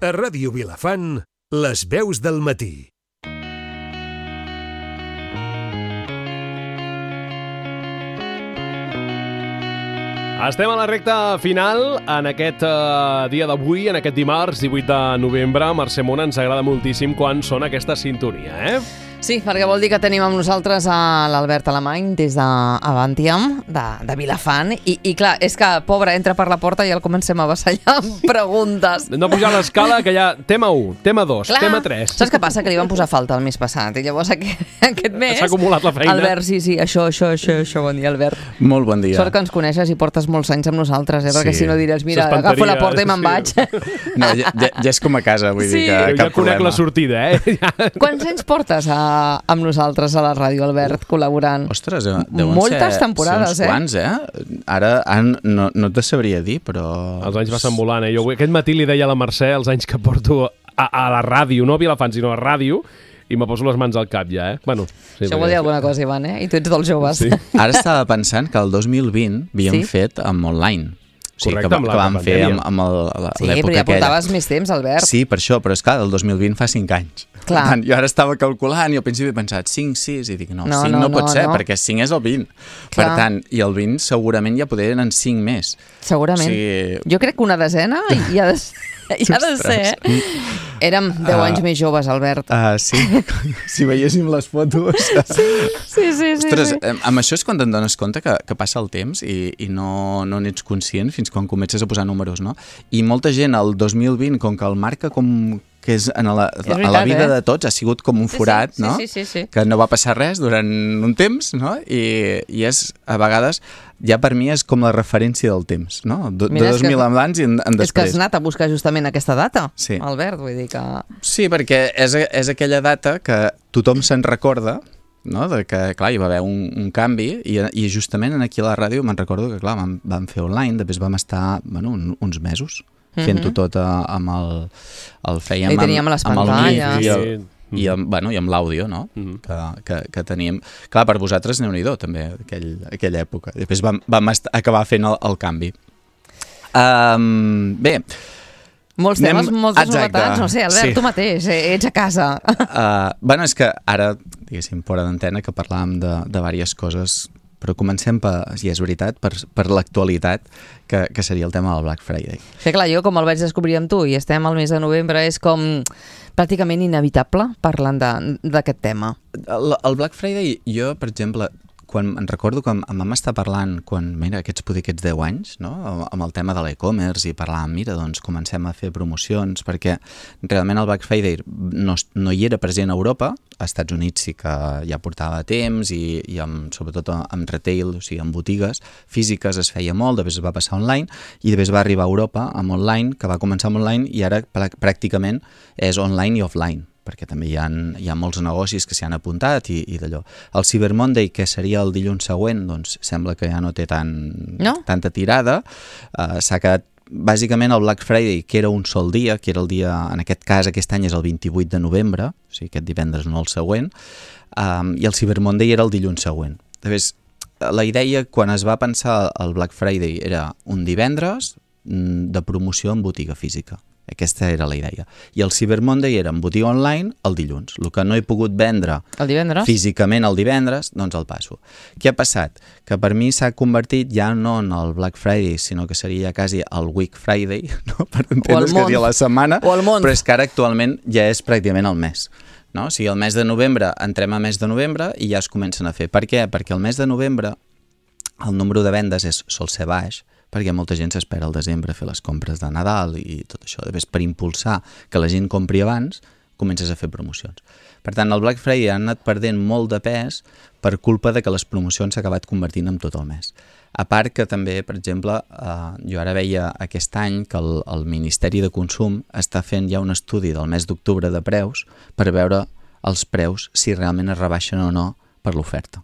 A Ràdio Vilafant, les veus del matí. Estem a la recta final en aquest dia d'avui, en aquest dimarts 18 de novembre. Mercè Mona, ens agrada moltíssim quan sona aquesta sintonia, Sí, perquè vol dir que tenim amb nosaltres a l'Albert Alemany des d'Avantiam, de Vilafant, i clar, és que, pobre, entra per la porta i el comencem a vassallar amb preguntes. No pujar l'escala, que ja tema 1, tema 2, clar, tema 3. Saps què passa? Que li van posar falta el mes passat, i llavors aquest mes... S'ha acumulat la feina. Albert, sí, això, bon dia, Albert. Molt bon dia. Sort que ens coneixes i portes molts anys amb nosaltres, perquè Sí. si no diràs, mira, agafo la porta i me'n vaig. No, ja és com a casa, vull dir que Jo cap ja conec problema. la sortida, Quants anys portes amb nosaltres a la ràdio, Albert, col·laborant? Ostres, deuen moltes ser temporades, uns quants, Ara no te sabria dir, però... Els anys passen volant, Jo aquest matí li deia a la Mercè els anys que porto a la ràdio, no a Vilafant, sinó a ràdio, i me poso les mans al cap ja, Bueno, sí, Això vol dir alguna cosa, Ivan, I tu ets dels joves. Sí. Ara estava pensant que el 2020 havíem fet amb online. O sigui, Correcte, amb que la vam fer pandèmia. amb Sí, l'època però ja aquella. portaves més temps, Albert. Sí, per això, però és clar, el 2020 fa 5 anys. Clar. Per tant, jo ara estava calculant i al principi he pensat 5, 6, i dic no, 5 no pot ser, perquè 5 és el 20. Clar. Per tant, i el 20 segurament ja poder eren 5 més. Segurament. O sigui... Jo crec que una desena hi ha de ser. Érem 10 anys més joves, Albert. Sí, si veiéssim les fotos... Sí. Ostres, amb això és quan te'n dones compte que passa el temps i no n'ets conscient fins quan comences a posar números, no? I molta gent al 2020, com que el marca com que és a la vida de tots, ha sigut com un forat, no? Sí. Que no va passar res durant un temps, no? I és, a vegades, ja per mi és com la referència del temps, no? De 2000 abans i en després. És que has anat a buscar justament aquesta data, Sí. Albert, vull dir que... Sí, perquè és aquella data que tothom se'n recorda, no? De que, clar, hi va haver un canvi i justament aquí a la ràdio me'n recordo que, clar, vam fer online, després vam estar, uns mesos fent-ho tot amb el fèiem I teníem les amb el pantalles. mic i amb l'àudio, no? Que teníem. Clar, per vosaltres Déu-n'hi-do, també, aquella època. Després vam acabar fent el canvi. Bé, Molts temes, moltes Exacte, novetats, no sé, Albert, sí. tu mateix, ets a casa. És que ara, diguéssim, fora d'antena, que parlàvem de diverses coses, però comencem, si és veritat, per l'actualitat, que seria el tema del Black Friday. Sí, clar, jo com el vaig descobrir amb tu i estem al mes de novembre, és com pràcticament inevitable parlant d'aquest tema. El Black Friday, jo, per exemple, quan em recordo que em vam estar parlant aquests 10 anys, no? Amb el tema de l'e-commerce i parlàvem, mira, doncs comencem a fer promocions, perquè realment el Black Friday no hi era present a Europa, als Estats Units sí que ja portava temps i sobretot amb retail, o sigui, amb botigues físiques es feia molt, després es va passar online i després va arribar a Europa amb online, que va començar amb online i ara pràcticament és online i offline, perquè també hi ha molts negocis que s'hi han apuntat i d'allò. El Cyber Monday, que seria el dilluns següent, doncs sembla que ja no té tanta tirada. S'ha quedat bàsicament el Black Friday, que era un sol dia, que era el dia, en aquest cas aquest any és el 28 de novembre, o sigui aquest divendres no el següent, i el Cyber Monday era el dilluns següent. Després, la idea quan es va pensar el Black Friday era un divendres de promoció en botiga física. Aquesta era la idea. I el Cyber Monday era en botiga online el dilluns. El que no he pogut vendre físicament el divendres, doncs el passo. Què ha passat? Que per mi s'ha convertit ja no en el Black Friday, sinó que seria quasi el Week Friday, no? Per entendre's que diria la setmana, però és que ara actualment ja és pràcticament el mes. No? O sigui, el mes de novembre, entrem a mes de novembre i ja es comencen a fer. Per què? Perquè el mes de novembre el número de vendes sol ser baix, perquè molta gent s'espera al desembre a fer les compres de Nadal i tot això. Després, per impulsar que la gent compri abans, comences a fer promocions. Per tant, el Black Friday ha anat perdent molt de pes per culpa de que les promocions s'ha acabat convertint en tot el mes. A part que també, per exemple, jo ara veia aquest any que el Ministeri de Consum està fent ja un estudi del mes d'octubre de preus per veure els preus si realment es rebaixen o no per l'oferta.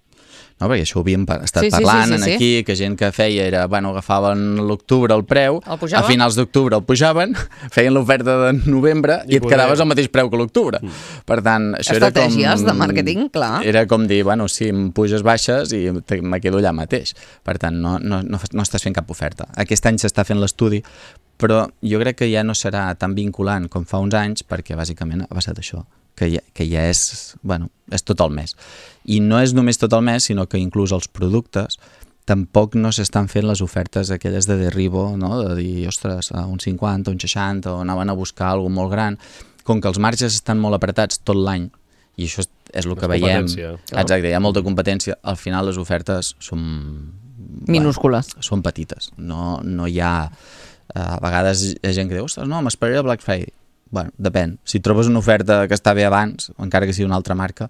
No, perquè això ho havíem estat parlant aquí, que gent que feia era, agafaven l'octubre el preu, a finals d'octubre el pujaven, feien l'oferta de novembre i et quedaves al mateix preu que l'octubre. Per tant, això era com... Estratègies de màrqueting, clar. Era com dir, si em puges baixes i me quedo allà mateix. Per tant, no estàs fent cap oferta. Aquest any s'està fent l'estudi però jo crec que ja no serà tan vinculant com fa uns anys, perquè bàsicament ha passat això, que ja és, bueno, és tot el mes. I no és només tot el mes, sinó que inclús els productes tampoc no s'estan fent les ofertes aquelles de derribo, no? De dir, ostres, un 50, un 60, o anaven a buscar alguna molt gran. Com que els marges estan molt apretats tot l'any, i això és el que veiem. Exacte, hi ha molta competència. Al final les ofertes són... minúscules. Bueno, són petites. No hi ha... A vegades hi ha gent que diu, ostres, no, m'esperaré el Black Friday. Bueno, depèn. Si trobes una oferta que està bé abans, encara que sigui una altra marca,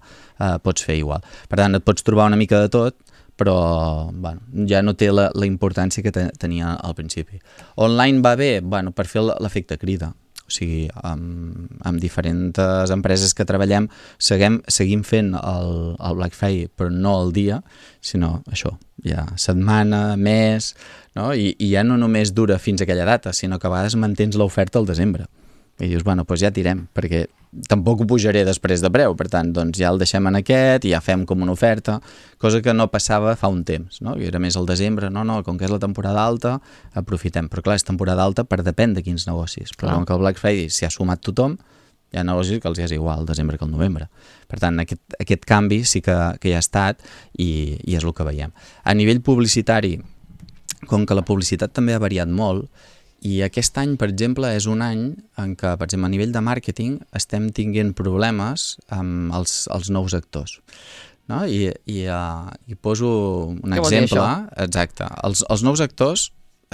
pots fer igual. Per tant, et pots trobar una mica de tot, però bueno, ja no té la importància que tenia al principi. Online va bé, bueno, per fer l'efecte crida. O sigui, amb diferents empreses que treballem seguim fent el Black Friday, però no el dia, sinó això, ja setmana, mes, no? I ja no només dura fins a aquella data, sinó que a vegades mantens l'oferta al desembre. I dius, bueno, doncs ja tirem, perquè tampoc ho pujaré després de preu, per tant, doncs ja el deixem en aquest i ja fem com una oferta, cosa que no passava fa un temps, no? Que era més al desembre, no, com que és la temporada alta, aprofitem. Però clar, és temporada alta per depèn de quins negocis. Però com que el Black Friday s'hi ha sumat tothom, hi ha negocis que els és igual el desembre que el novembre. Per tant, aquest canvi sí que hi ha estat i és el que veiem. A nivell publicitari, com que la publicitat també ha variat molt, i aquest any, per exemple, és un any en què, per exemple, a nivell de màrqueting estem tinguent problemes amb els nous actors. No? I poso un exemple. Exacte. Els nous actors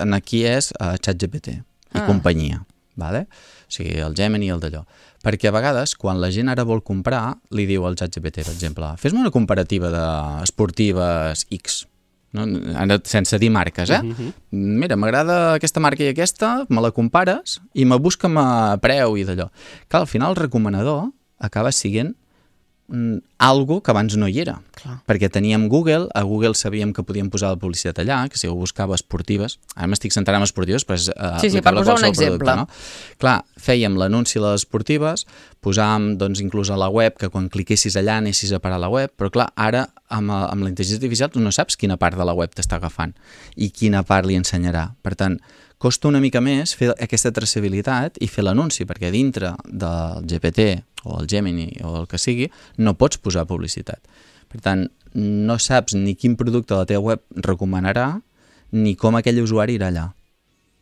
aquí és ChatGPT i companyia. Vale? O sigui, el Gemini i el d'allò. Perquè a vegades, quan la gent ara vol comprar, li diu al ChatGPT, per exemple, fes-me una comparativa d'esportives X. No? Ara, sense dir marques, Mira, m'agrada aquesta marca i aquesta, me la compares i me busca'm a preu i d'allò. Clar, al final el recomanador acaba sent algo que abans no hi era. Clar. Perquè teníem Google, a Google sabíem que podíem posar la publicitat allà, que si ho buscava esportives, ara m'estic centrant en esportives, però és per posar un exemple. Producte, no? Clar, fèiem l'anunci a les esportives, posàvem doncs, inclús a la web, que quan cliquessis allà anessis a parar a la web, però clar, ara amb la intel·ligència artificial tu no saps quina part de la web t'està agafant i quina part li ensenyarà. Per tant, costa una mica més fer aquesta traçabilitat i fer l'anunci, perquè dintre del GPT o el Gemini o el que sigui, no pots posar publicitat. Per tant, no saps ni quin producte la teva web recomanarà ni com aquell usuari irà allà.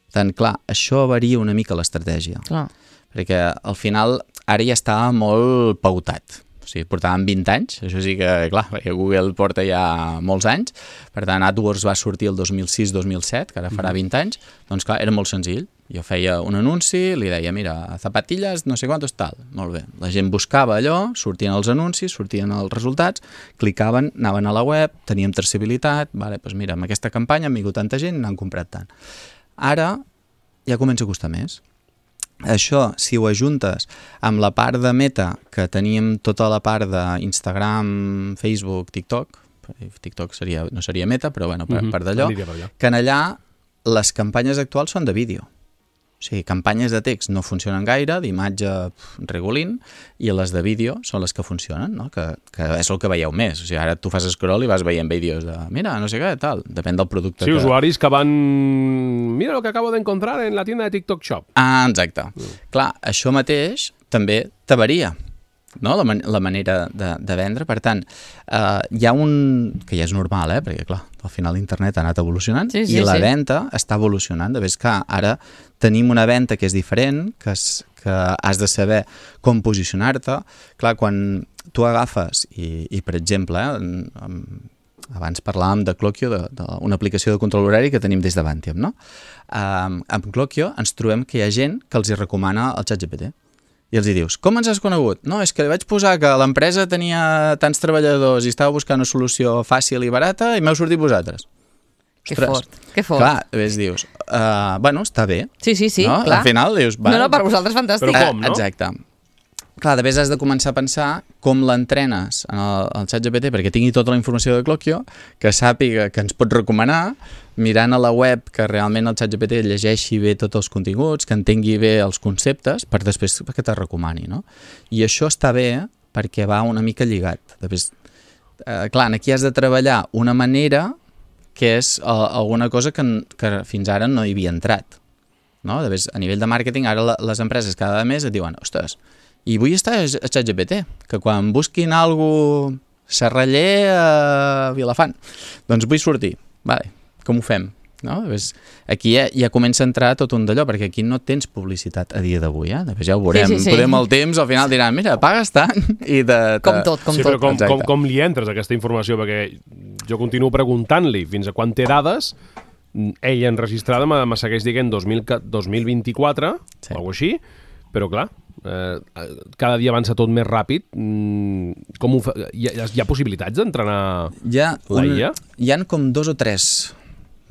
Per tant, clar, això varia una mica l'estratègia. Clar. Perquè al final ara ja està molt pautat. O sigui, portàvem 20 anys, això sí que, clar, perquè Google porta ja molts anys, per tant AdWords va sortir el 2006-2007, que ara farà 20 anys, doncs clar, era molt senzill. Jo feia un anunci, li deia, mira, zapatilles, no sé quantos, tal. Molt bé. La gent buscava allò, sortien els anuncis, sortien els resultats, clicaven, anaven a la web, teníem traçabilitat, vale, doncs mira, amb aquesta campanya han vingut tanta gent i n'han comprat tant. Ara ja comença a costar més. Això, si ho ajuntes amb la part de Meta, que teníem tota la part d'Instagram, Facebook, TikTok, TikTok no seria Meta, però bueno, per d'allò, que en allà les campanyes actuals són de vídeo. O sigui, campanyes de text no funcionen gaire, d'imatge regulint, i les de vídeo són les que funcionen, no? Que és el que veieu més. O sigui, ara tu fas scroll i vas veient vídeos de, mira, no sé què, tal, depèn del producte. Sí, usuaris que van... Mira lo que acabo de encontrar en la tienda de TikTok Shop. Ah, exacte. Clar, això mateix també te varia, no? La manera de vendre. Per tant, hi ha un... que ja és normal, perquè clar, al final l'internet ha anat evolucionant i la venda està evolucionant. De ves que ara tenim una venda que és diferent, que has de saber com posicionar-te. Clar, quan tu agafes i per exemple, abans parlàvem de Clockio, d'una aplicació de control horari que tenim des d'Avantium, no? Amb Clockio ens trobem que hi ha gent que els hi recomana el ChatGPT. I els hi dius, com ens has conegut? No, és que li vaig posar que l'empresa tenia tants treballadors i estava buscant una solució fàcil i barata i m'heu sortit vosaltres. Que fort, que fort. Clar, dius, bueno, està bé. Sí, no? Clar. Al final dius... No, per vosaltres fantàstic. Però com, no? Exacte. Clar, de vegades has de començar a pensar com l'entrenes en el ChatGPT perquè tingui tota la informació de Clockio, que sàpiga que ens pot recomanar, mirant a la web que realment el ChatGPT llegeixi bé tots els continguts, que entengui bé els conceptes, per després que te recomani, no? I això està bé perquè va una mica lligat. Després, clar, aquí has de treballar una manera que és alguna cosa que fins ara no hi havia entrat. no? A nivell de màrqueting, ara les empreses cada mes et diuen, ostres, i vull estar a ChatGPT, que quan busquin alguna cosa Serraller a Vilafant, doncs vull sortir, vale, com ho fem? No? Aquí ja comença a entrar tot un d'allò, perquè aquí no tens publicitat a dia d'avui, ja ho veurem, podem el temps, al final diran, mira, pagues tant i com tot. Sí, però com li entres aquesta informació? Perquè jo continuo preguntant-li fins a quan té dades, ella enregistrada me segueix dient 2024, sí, o alguna així, però clar, cada dia avança tot més ràpid. Com ho fa? Hi ha possibilitats d'entrenar la IA? Hi ha com 2 o 3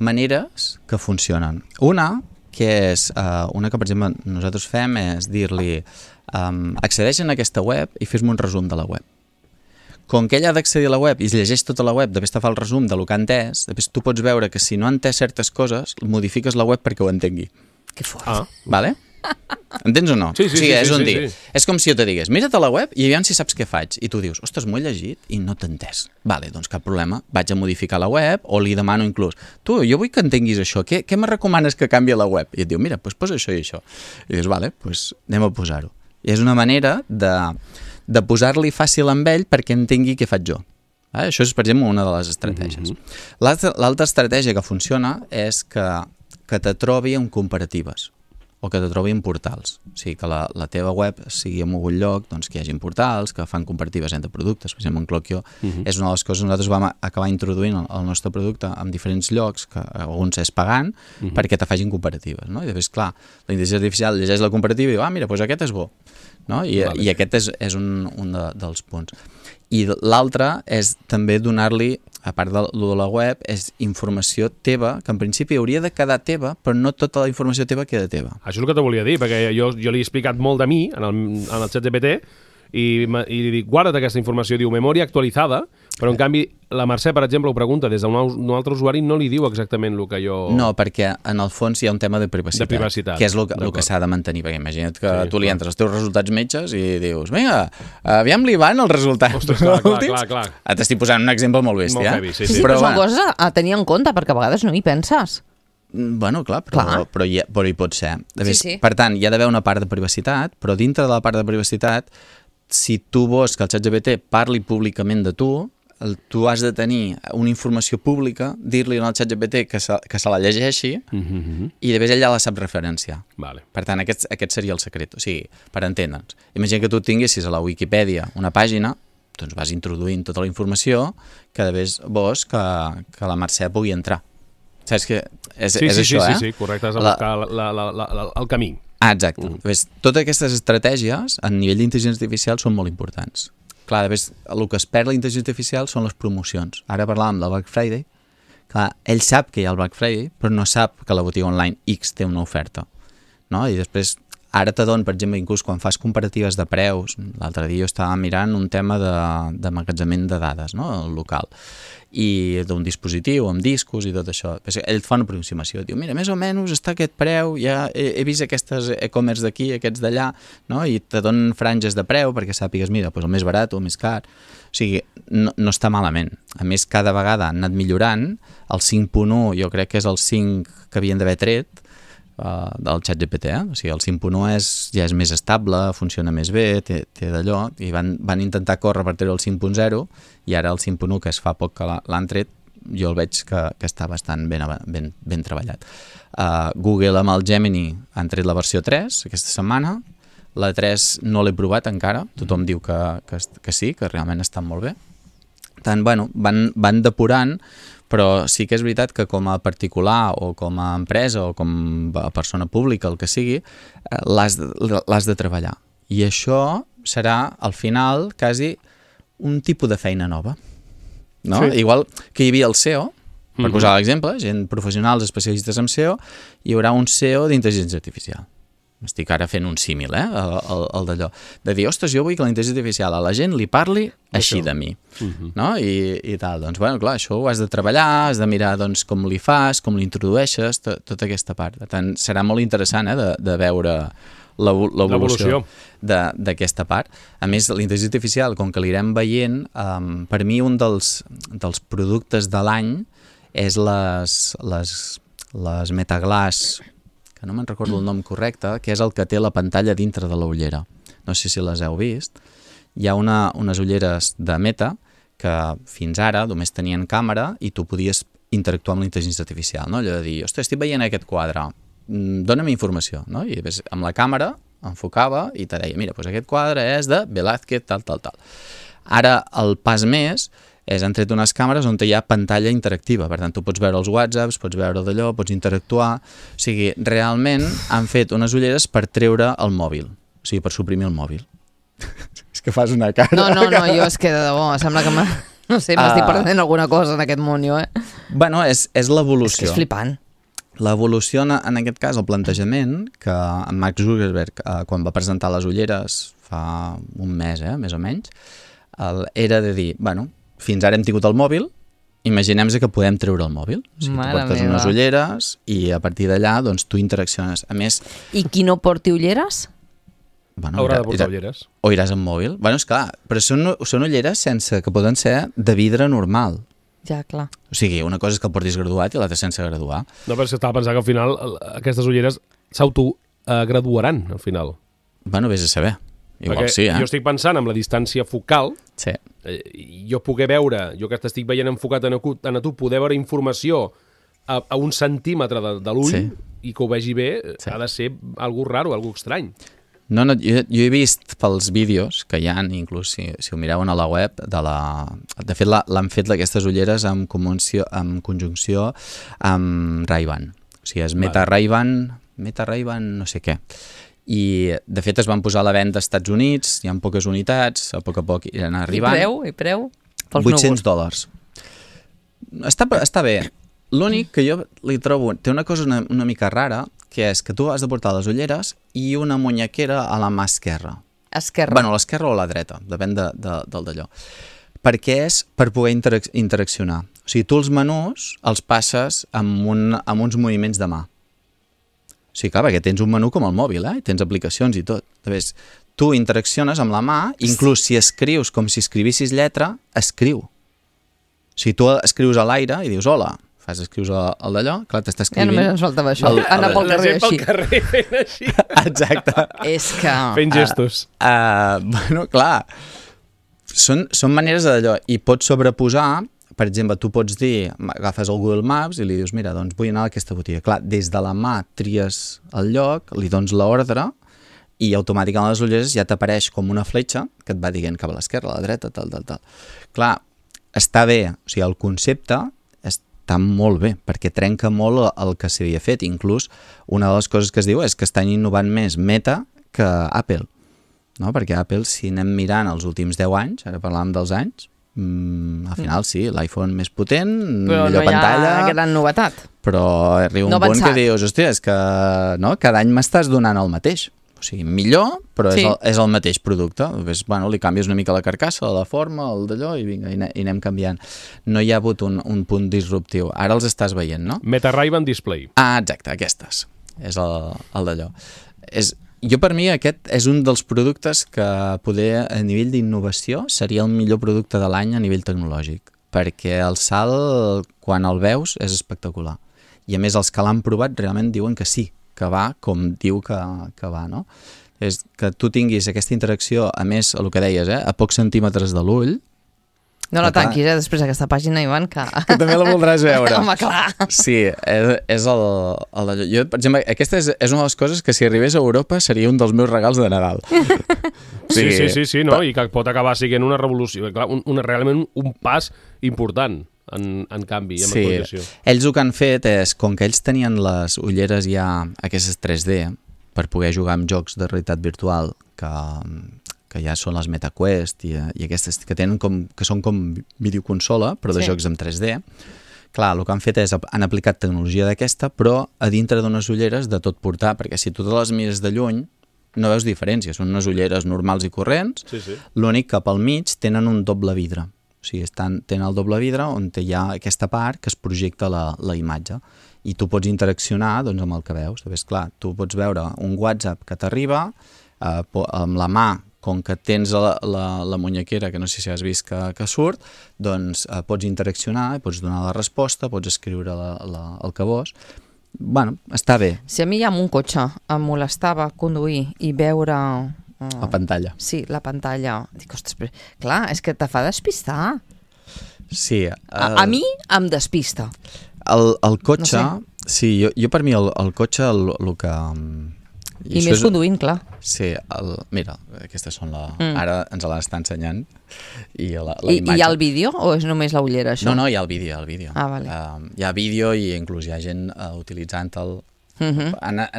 maneres que funcionen. Una, que és una que, per exemple, nosaltres fem, és dir-li accedeix a aquesta web i fes-me un resum de la web. Com que ella ha d'accedir a la web i es llegeix tota la web, després te fa el resum del que ha entès, després tu pots veure que si no ha entès certes coses, modifiques la web perquè ho entengui. Que fort. Vale? Entens o no? Sí. És com si jo te digués, mira't a la web i aviam si saps què faig. I tu dius, ostres, m'ho he llegit i no t'he entès. Vale, doncs cap problema, vaig a modificar la web o li demano inclús, tu, jo vull que entenguis això, què me recomanes que canvi la web? I et diu, mira, doncs posa això i això. I dius, vale, doncs anem a posar-ho. I és una manera de posar-li fàcil amb ell perquè entengui què faig jo. Això és, per exemple, una de les estratègies. L'altra estratègia que funciona és que te trobi en comparatives o que te trobi en portals. O sigui, que la teva web sigui en algun lloc, doncs que hi hagi portals que fan comparatives entre productes. Per exemple, en Clockio és una de les coses que nosaltres vam acabar introduint el nostre producte en diferents llocs, que alguns és pagant, perquè te facin comparatives. No? I després, clar, la intel·ligència artificial llegeix la comparativa i diu, mira, doncs aquest és bo. No? I aquest és un dels punts. I l'altre és també donar-li, a part de la web, és informació teva, que en principi hauria de quedar teva, però no tota la informació teva queda teva. Això és el que te volia dir, perquè jo li he explicat molt de mi en el ChatGPT i li dic, guarda't aquesta informació, diu memòria actualitzada, però en canvi la Mercè, per exemple, ho pregunta des d'un altre usuari, no li diu exactament el que jo... No, perquè en el fons hi ha un tema de privacitat. Que és el que s'ha de mantenir, perquè imagina't que tu li entres els teus resultats metges i dius, vinga, aviam li van els resultats. Ostres, clar. T'estic posant un exemple molt bèstia. Molt heavy, sí. Però són coses a tenir en compte, perquè a vegades no hi penses. Bueno, clar, però hi pot ser. Sí. Per tant, hi ha d'haver una part de privacitat, però dintre de la part de privacitat, si tu vols que el ChatGPT parli públicament de tu has de tenir una informació pública, dir-li al ChatGPT que se la llegeixi i després ell ja la sap referenciar. Vale. Per tant, aquest seria el secret. O sigui, per entendre'ns. Imagina que tu tinguessis a la Wikipedia una pàgina, doncs vas introduint tota la informació que després vols que la Mercè pugui entrar. Saps que és això, eh? Sí, correcte, has de buscar el camí. Exacte. Totes aquestes estratègies a nivell d'intel·ligència artificial són molt importants. Clar, el que es perd la intel·ligència artificial són les promocions. Ara parlàvem del Black Friday. Clar, ell sap que hi ha el Black Friday, però no sap que la botiga online X té una oferta. No? I després, ara t'adon, per exemple, inclús quan fas comparatives de preus, l'altre dia jo estava mirant un tema d'emmagatzemament de dades, no? Local, i d'un dispositiu amb discos i tot això. Ell fa una aproximació, diu, mira, més o menys està aquest preu, ja he vist aquestes e-commerce d'aquí, aquests d'allà, no? I te donen franges de preu perquè sàpigues, mira, doncs el més barat o el més car. O sigui, no està malament. A més, cada vegada han anat millorant. El 5.1 jo crec que és el 5 que havien d'haver tret del ChatGPT, o sigui, el 5.1 ja és més estable, funciona més bé, té d'allò, i van intentar córrer per treure el 5.0 i ara el 5.1, que es fa poc que l'han tret, jo el veig que està bastant ben treballat. Google amb el Gemini han tret la versió 3 aquesta setmana, la 3 no l'he provat encara, tothom diu que sí, que realment està molt bé. Tant, bueno, van depurant, però sí que és veritat que com a particular o com a empresa o com a persona pública, el que sigui, l'has de treballar. I això serà, al final, quasi un tipus de feina nova. No? Sí. Igual que hi havia el SEO, per posar l'exemple, gent professionals especialistes en SEO, hi haurà un SEO d'intel·ligència artificial. Estic ara fent un símil, el d'allò. De dir, ostres, jo vull que la intel·ligència artificial a la gent li parli així de mi. No? I tal. Doncs, bueno, clar, això ho has de treballar, has de mirar doncs, com li fas, com l'introdueixes, tota aquesta part. Per tant, serà molt interessant de veure l'evolució d'aquesta part. A més, la intel·ligència artificial, com que l'irem veient, per mi un dels productes de l'any és les Metaglass, que no me'n recordo el nom correcte, que és el que té la pantalla dintre de l'ullera. No sé si les heu vist. Hi ha unes ulleres de Meta que fins ara només tenien càmera i tu podies interactuar amb la intel·ligència artificial, no? Allò de dir, ostres, estic veient aquest quadre, dona'm informació, no? I amb la càmera enfocava i te deia, mira, doncs aquest quadre és de Velázquez, tal. Ara el pas més és han tret unes càmeres on hi ha pantalla interactiva, per tant tu pots veure els whatsapps, pots veure d'allò, pots interactuar, o sigui, realment han fet unes ulleres per treure el mòbil, o sigui, per suprimir el mòbil. És que fas una cara... No, jo és que de debò, sembla que no sé, m'estic perdent alguna cosa en aquest món, jo, Bueno, és l'evolució. És que és flipant. L'evolució, en aquest cas, el plantejament, que en Mark Zuckerberg, quan va presentar les ulleres fa un mes, més o menys, era de dir, bueno, fins ara hem tingut el mòbil, imaginem-nos que podem treure el mòbil. O sigui, tu portes unes ulleres i a partir d'allà doncs, tu interacciones. A més... I qui no porti ulleres? Bueno, haurà de portar ulleres. O iràs amb mòbil. Bueno, esclar, però són ulleres que poden ser de vidre normal. Ja, clar. O sigui, una cosa és que el portis graduat i l'altra sense graduar. No, però és que estava pensant que al final aquestes ulleres s'autograduaran, al final. Bueno, vés a saber. Igual perquè sí, jo estic pensant en la distància focal, sí. Jo poder veure, jo que t'estic veient enfocat en a tu, poder veure informació a un centímetre de l'ull i que ho vegi bé, ha de ser algo raro, algo estrany. No, jo he vist pels vídeos que hi ha, inclús si ho mireu a la web, de fet l'han fet aquestes ulleres en conjunció amb Ray-Ban. O sigui, és Meta Ray-Ban no sé què. I de fet es van posar a la venda als Estats Units, hi ha poques unitats, a poc iran arribant. I preu? $800. Està bé. L'únic que jo li trobo, té una cosa una mica rara, que és que tu has de portar les ulleres i una muñequera a la mà esquerra. Esquerra. Bueno, l'esquerra o la dreta, depèn del d'allò. Perquè és per poder interaccionar. O sigui, tu els menús els passes amb uns moviments de mà. O sigui, clar, perquè tens un menú com el mòbil, i tens aplicacions i tot. Llavors, tu interacciones amb la mà, inclús si escrius com si escrivissis lletra, escriu. O sigui, tu escrius a l'aire i dius hola, escrius el d'allò, clar, t'està escrivint... Ja només ens faltava això, anar pel carrer així. La gent pel carrer fent així. Exacte. És que... Fent gestos. Bueno, clar, són maneres d'allò, i pots sobreposar, per exemple, tu pots dir, agafes el Google Maps i li dius, mira, doncs vull anar a aquesta botiga. Clar, des de la mà tries el lloc, li dones l'ordre i automàticament les ulleres ja t'apareix com una fletxa que et va dient cap a l'esquerra, a la dreta, tal. Clar, està bé, o sigui, el concepte està molt bé, perquè trenca molt el que s'havia fet. Inclús, una de les coses que es diu és que estan innovant més Meta que Apple, no? Perquè Apple, si anem mirant els últims 10 anys, ara parlàvem dels anys, al final sí, l'iPhone més potent, però millor pantalla... Però no hi ha gran novetat. Però arriba un punt que dius, hòstia, és que cada any m'estàs donant el mateix. O sigui, millor, però és el mateix producte. Bueno, li canvies una mica la carcassa, la forma, el d'allò, i vinga, i anem canviant. No hi ha hagut un punt disruptiu. Ara els estàs veient, no? Meta Ray-Ban Display. Exacte, aquestes. És el d'allò. Jo, per mi, aquest és un dels productes que poder, a nivell d'innovació, seria el millor producte de l'any a nivell tecnològic, perquè el salt, quan el veus, és espectacular. I a més, els que l'han provat realment diuen que sí, que va com diu que va, no? És que tu tinguis aquesta interacció, a més, el que deies, a pocs centímetres de l'ull. No la tanquis, després d'aquesta pàgina, Ivan, que també la voldràs veure. Home, clar. Sí, és el... Jo, per exemple, aquesta és una de les coses que si arribés a Europa seria un dels meus regals de Nadal. Sí, no? I que pot acabar sent una revolució, realment un pas important en canvi, en actualització. Ells el que han fet és, com que ells tenien les ulleres ja aquestes 3D per poder jugar amb jocs de realitat virtual que ja són les MetaQuest i aquestes que són com videoconsola, però de jocs en 3D. Clar, el que han fet és, han aplicat tecnologia d'aquesta, però a dintre d'unes ulleres de tot portar, perquè si tu te les mires de lluny, no veus diferència, són unes ulleres normals i corrents, l'únic que pel mig tenen un doble vidre. O sigui, tenen el doble vidre on hi ha aquesta part que es projecta la imatge i tu pots interaccionar amb el que veus. Llavors, clar, tu pots veure un WhatsApp que t'arriba amb la mà, com que tens la muñequera, que no sé si has vist que surt, doncs pots interaccionar, pots donar la resposta, pots escriure el que vols, bueno, està bé. Si a mi amb un cotxe em molestava conduir i veure... La pantalla. Sí, la pantalla. Dic, ostres, però, clar, és que te fa despistar. Sí. A mi em despista. El cotxe... No Sí, jo per mi el cotxe el que... I més conduint, clar. Sí, mira, aquestes són ara ens l'està ensenyant. I hi ha el vídeo o és només la ullera, això? No, hi ha el vídeo. Ah, vale. Hi ha vídeo i inclús hi ha gent utilitzant el...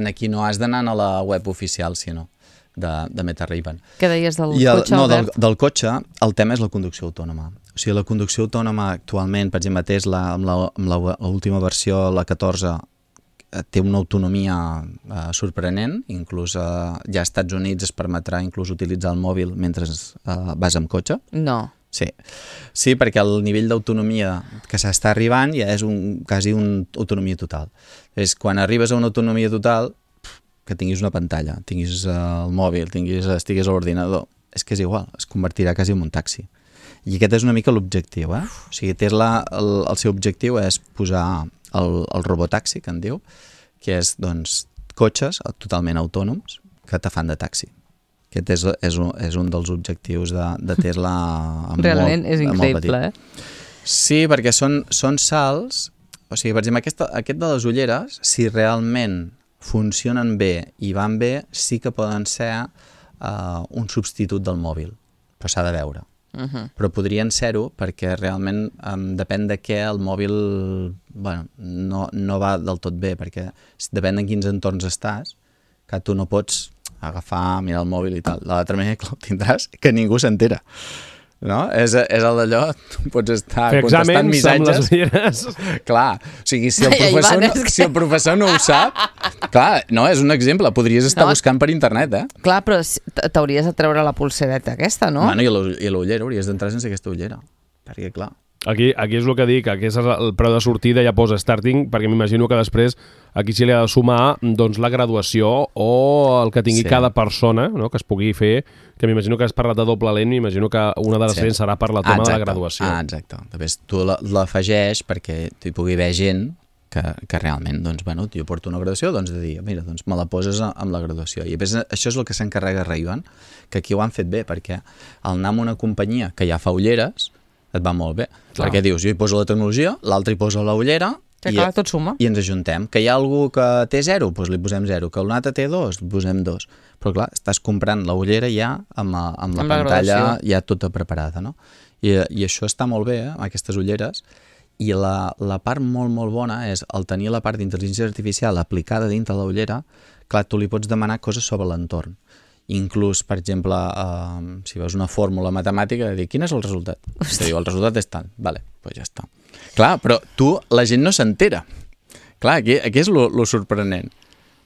Aquí no has d'anar a la web oficial, sinó de Meta Ray-Ban. Què deies del cotxe, Albert? Del cotxe, el tema és la conducció autònoma. O sigui, la conducció autònoma actualment, per exemple, Tesla, amb l'última versió, la 14, té una autonomia sorprenent, inclús ja als Estats Units es permetrà inclús utilitzar el mòbil mentre vas amb cotxe. No. Sí, perquè el nivell d'autonomia que s'està arribant ja és quasi una autonomia total. Quan arribes a una autonomia total, que tinguis una pantalla, tinguis el mòbil, estiguis a l'ordinador, és que és igual, es convertirà quasi en un taxi. I aquest és una mica l'objectiu, O sigui, Tesla, el seu objectiu és posar el robotaxi, que en diu, que és, doncs, cotxes totalment autònoms que te fan de taxi. Aquest és un dels objectius de Tesla realment és increïble, Sí, perquè són salts, o sigui, per exemple, aquest de les ulleres, si realment funcionen bé i van bé, sí que poden ser un substitut del mòbil, però s'ha de veure. Però podrien ser-ho perquè realment depèn de què el mòbil no va del tot bé, perquè depèn de quins entorns estàs, que tu no pots agafar, mirar el mòbil i tal. De l'altra manera que el tindràs, que ningú s'entera. No? És el d'allò, tu pots estar contestant missatges. Fer exàmens amb les ulleres. Clar, o sigui, si el professor no ho sap, clar, no, és un exemple, podries estar buscant per internet, Clar, però t'hauries de treure la pulsereta aquesta, no? Bueno, i l'ullera, hauries d'entrar sense aquesta ullera, perquè clar... Aquí és el que dic, aquí és el preu de sortida, ja posa starting, perquè m'imagino que després aquí s'hi ha de sumar doncs, la graduació o el que tingui cada persona, no? Que es pugui fer, que m'imagino que has parlat de doble lent, m'imagino que una de les lents serà per la tema de la graduació. Exacte. Després tu l'afegeix perquè hi pugui haver gent que realment, doncs, bueno, jo porto una graduació, doncs de dir, mira, doncs me la poses amb la graduació. I després això és el que s'encarrega Ray-Ban, que aquí ho han fet bé, perquè al anar amb una companyia que ja fa ulleres, et va molt bé. Clar. Perquè dius, jo hi poso la tecnologia, l'altre hi posa la ullera tot suma. I ens ajuntem. Que hi ha algú que té 0, doncs li posem 0. Que un altre té 2, li posem 2. Però clar, estàs comprant la ullera ja amb la pantalla ja tota preparada, no? I això està molt bé, aquestes ulleres. I la part molt, molt bona és el tenir la part d'intel·ligència artificial aplicada dintre la ullera. Clar, tu li pots demanar coses sobre l'entorn. Inclús, per exemple, si veus una fórmula matemàtica, de dir, quin és el resultat? Te diu, el resultat és tant. Vale, doncs ja està. Clar, però la gent no s'entera. Clar, aquí és lo sorprenent.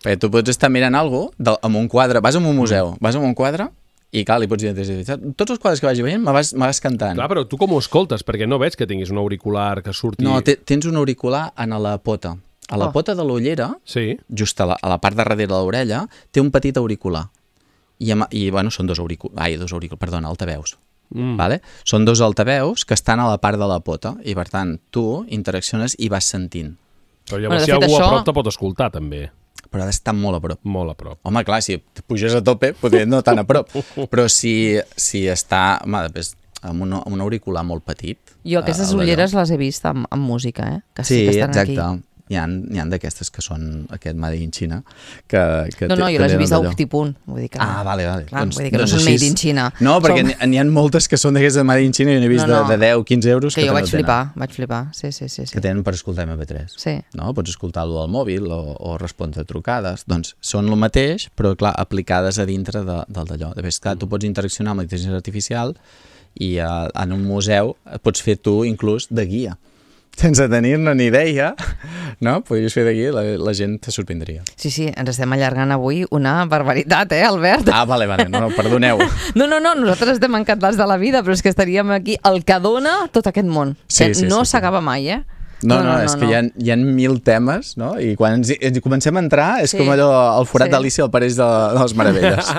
Perquè tu pots estar mirant alguna cosa amb un quadre, vas a un museu, vas a un quadre i clar, li pots dir, tots els quadres que vagi veient me vas cantant. Clar, però tu com ho escoltes? Perquè no veig que tinguis un auricular que surti... No, tens un auricular a la pota. A la pota de l'ullera, just a la part de darrere de l'orella, té un petit auricular. I bueno, són dos altaveus. Vale? Són dos altaveus que estan a la part de la pota i per tant tu interacciones i vas sentint. Però llavors si algú a prop te pot escoltar també. Però ha d'estar molt a prop. Molt a prop. Home, clar, si puges a tope potser no tan a prop, però si està amb un auricular molt petit... Jo aquestes ulleres les he vist amb música, que sí que estan exacte. aquí. Hi ha d'aquestes que són aquest Made in China. No, jo les he vist a Optipunt. Vull dir que vale. Clar, vull dir que no són Made in China. No, perquè n'hi ha moltes que són d'aquestes de Made in China i n'he vist de 10-15 euros que jo vaig flipar. Sí. Que tenen per escoltar MP3. Sí. No? Pots escoltar-lo al mòbil o respondre trucades. Doncs són el mateix, però clar, aplicades a dintre del d'allò. De fet, clar, tu pots interaccionar amb la intel·ligència artificial i en un museu pots fer tu inclús de guia. Sense tenir-ne ni idea, no? Podries fer d'aquí, la gent te sorprendria. Sí, ens estem allargant avui una barbaritat, Albert? Vale, no, perdoneu. No, nosaltres estem encantats de la vida, però és que estaríem aquí el que dona tot aquest món. No s'acaba mai, No, és que hi ha 1000 temes, no? I quan ens comencem a entrar és com allò, el forat d'Alícia al Pareix de les Meravelles.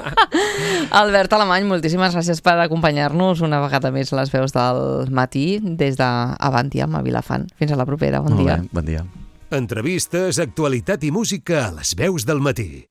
Albert Alemany, moltíssimes gràcies per acompanyar-nos una vegada més les veus del matí des d'Avantiam a Vilafant. Fins a la propera, bon dia. Bon dia. Entrevistes, actualitat i música a les veus del matí.